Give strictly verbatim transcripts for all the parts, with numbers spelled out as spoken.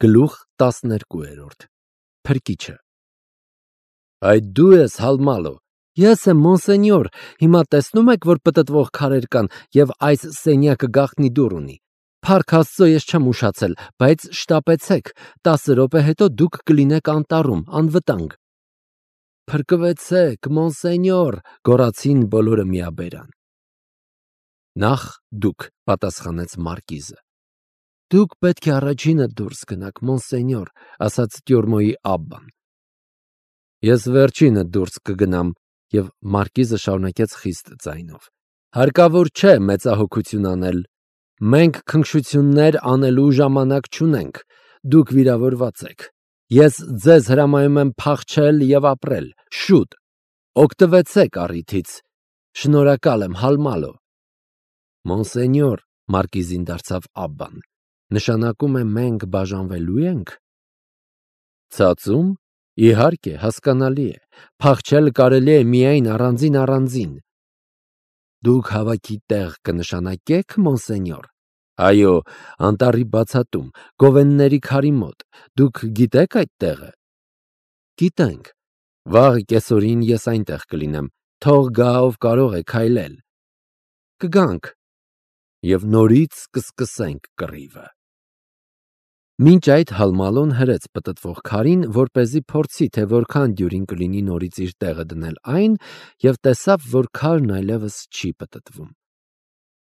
Գլուխ տասներկու Փրկիչը Այդ դու ես Հալմալո։ Ես եմ մոնսենյոր, հիմա տեսնում եք, որ պտտվող քարեր կան և այս սենյակը գաղտնի դուռ ունի։ Փառք Աստծո, ես չեմ ուշացել, բայց շտապեցեք, տասը րոպե հետո դուք կլինեք անտառում, անվտանգ։ Փրկվեցեք, մոնսենյոր, գոռացին բոլորը միաբերան։ Նախ դուք, պատասխանեց մարկիզը։ Դուք պետք է առաջինը դուրս գնաք, մոնսենյոր, ասաց Տյորմոյի աբբան։ Ես վերջինը դուրս կգնամ, և մարկիզը շարունակեց խիստ ձայնով. Հարկավոր չէ մեծահոգություն անել։ Մենք քնքշություններ անելու ժամանակ չունենք, դուք վիրավորված եք։ Ես ձեզ հրամայում եմ փախչել և ապրել, շուտ, օգտվեցեք առիթից։ Շնորհակալ եմ, Հալմալո։ Մոնսենյոր, մարկիզին դարձավ աբբան, նշանակում է մենք բաժանվելու ենք։ Ցածում, իհարկե, հասկանալի է, փախչել կարելի է միայն առանձին-առանձին։ Դուք հավաքի տեղ կնշանակե՞ք, մոնսենյոր։ Այո, անտառի բացատում, Գովենների քարի մոտ, դուք գիտեք այդ տեղը։ Գիտենք, վաղ կեսօրին ես այնտեղ կլինեմ, թող գա ով կարող է քայլել։ Կգանք, և նորից կսկսենք կռիվը։ Մինչ այդ Հալմալոն հրեց պտտվող քարին, որպեսզի փորձի, թե որքան դյուրին կլինի նորից իր տեղը դնել այն, և տեսավ, որ քարն այլևս չի պտտվում։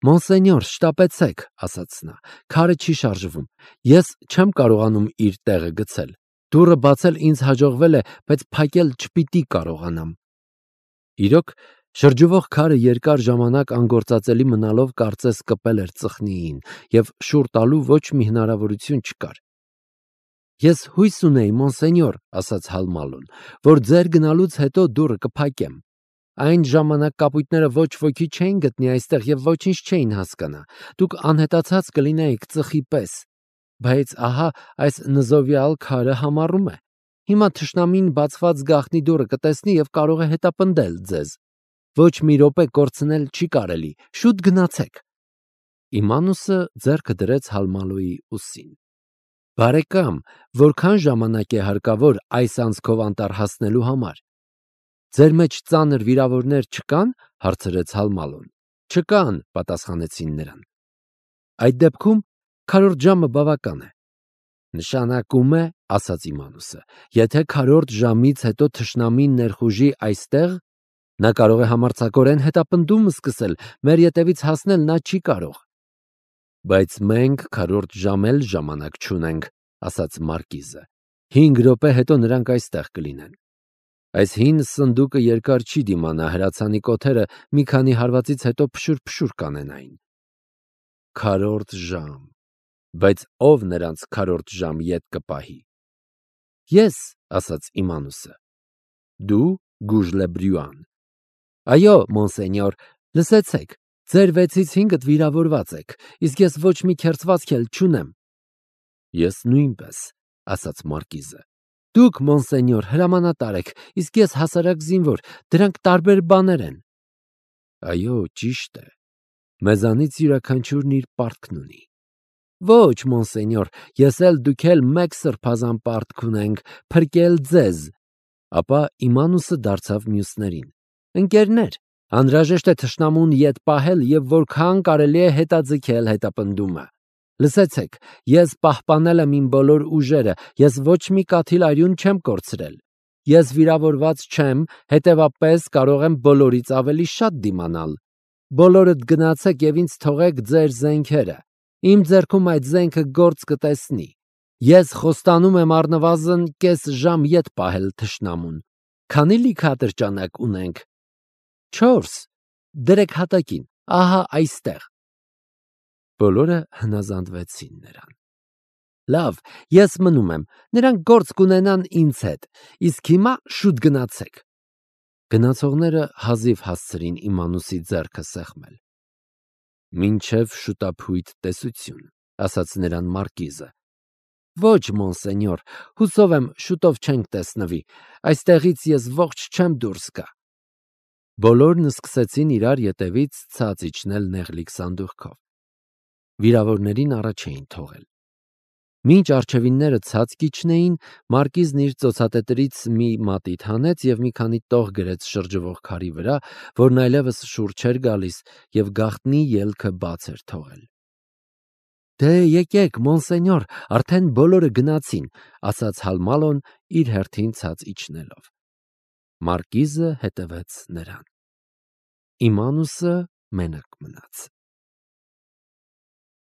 Մոնսենյոր, շտապեցեք, ասաց նա, քարը չի շարժվում, ես չեմ կարողանում իր տեղը գցել։ Դուռը բացել ինձ հաջողվել է, բայց փակել չպիտի կարողանամ։ Իրոք, շրջվող քարը երկար ժամանակ անգործածելի մնալով կարծես կպել էր ծխնիին, և շուռ տալու ոչ մի հնարավորություն չկար։ Ես հույս ունեի, մոնսենյոր, ասաց Հալմալոն, որ ձեր գնալուց հետո դուռը կփակեմ։ Այն ժամանակ կապույտները ոչ ոքի չէին գտնի այստեղ և ոչինչ չէին հասկանա։ Դուք անհետացած կլինեիք ծխի պես։ Բայց ահա այս նզովյալ քարը համառում է։ Հիմա թշնամին բացված գաղտնի դուռը կտեսնի և կարող է հետապնդել ձեզ։ Ոչ մի րոպե կորցնել չի կարելի, շուտ գնացեք։ Իմանուսը ձեռքը դրեց Հալմալոյի ուսին։ Բարեկամ, որքան ժամանակ է հարկավոր այս անցքով անտառ հասնելու համար։ Ձեր մեջ ծանր վիրավորներ չկան, հարցրեց Հալմալոն։ Չկան, պատասխանեցին նրան։ Այդ դեպքում քառորդ ժամը բավական է։ Նշանակում է, ասաց Իմանուսը, եթե քառորդ ժամից հետո թշնամին ներխուժի այստեղ, նա կարող է համարձակորեն հետապնդում սկսել, մեր ետևից հասնել նա չի կարող։ Բայց մենք քառորդ ժամ էլ ժամանակ չունենք, ասաց մարկիզը։ Հինգ րոպե հետո նրանք այստեղ կլինեն։ Այս հին սնդուկը երկար չի դիմանա, հրացանի կոթերը մի քանի հարվածից հետո փշուր-փշուր կանենային։ Քառորդ ժամ, բայց ով նրանց քառորդ ժամ ետ կպահի։ Ես, ասաց Իմանուսը։ Դու, Գուժլեբրյուան։ Այո, մոնսենյոր, լսեցեք, ձեր վեցից հինգդ վիրավորված եք, իսկ ես ոչ մի քերծվածք էլ չունեմ։ Ես նույնպես, ասաց մարկիզը։ Դուք, մոնսենյոր, հրամանատար եք, իսկ ես հասարակ զինվոր, դրանք տարբեր բաներ են։ Այո, ճիշտ է։ Մեզանից յուրաքանչյուրն իր պարտքն ունի։ Ոչ, մոնսենյոր, ես էլ դուք էլ մեկ սրբազան պարտք ունենք, փրկել ձեզ։ Ապա Իմանուսը դարձավ մյուսներին։ Ընկերներ, անհրաժեշտ է թշնամուն ետ պահել և որքան կարելի է հետաձգել հետապնդումը։ Լսեցեք, ես պահպանել եմ իմ բոլոր ուժերը, ես ոչ մի կաթիլ արյուն չեմ կորցրել։ Ես վիրավորված չեմ, հետևաբար կարող եմ բոլորից ավելի շատ դիմանալ։ Բոլորդ գնացեք և ինձ թողեք ձեր զենքերը։ Իմ ձեռքում այդ զենքը գործ կտեսնի։ Ես խոստանում եմ առնվազն կես ժամ ետ պահել թշնամուն։ Քանի լիքատրճանակ ունենք։ Չորս։ Դրեք հատակին, ահա այստեղ։ Բոլորը հնազանդվեցին նրան։ Լավ, ես մնում եմ, նրանք գործ կունենան ինձ հետ, իսկ հիմա շուտ գնացեք։ Գնացողները հազիվ հասցրին Իմանուսի ձեռքը սեղմել։ Մինչև շուտափույթ տեսություն, ասաց նրան մարկիզը։ Ոչ, մոնսենյոր, հուսով եմ շուտով չենք տեսնվի, այստեղից ես ողջ չեմ դուրս գա։ Բոլորն սկսեցին իրար ետևից ցած իջնել նեղլիկ սանդուղքով։ Վիրավորներին առաջ էին թողել։ Մինչ առջևինները ցած կիջնեին, մարկիզն իր ծոցատետրից մի մատիտ հանեց և մի քանի տող գրեց շրջվող քարի վրա, որն այլևս շուռ չէր գալիս և գաղտնի ելքը բաց էր թողել։ «Դե եկեք, մոնսենյոր, արդեն բոլորը գնացին», ասաց Հալմալոն իր հերթին ցած իջնելով։ Մարկիզը հետևեց նրան։ Իմանուսը մենակ մնաց։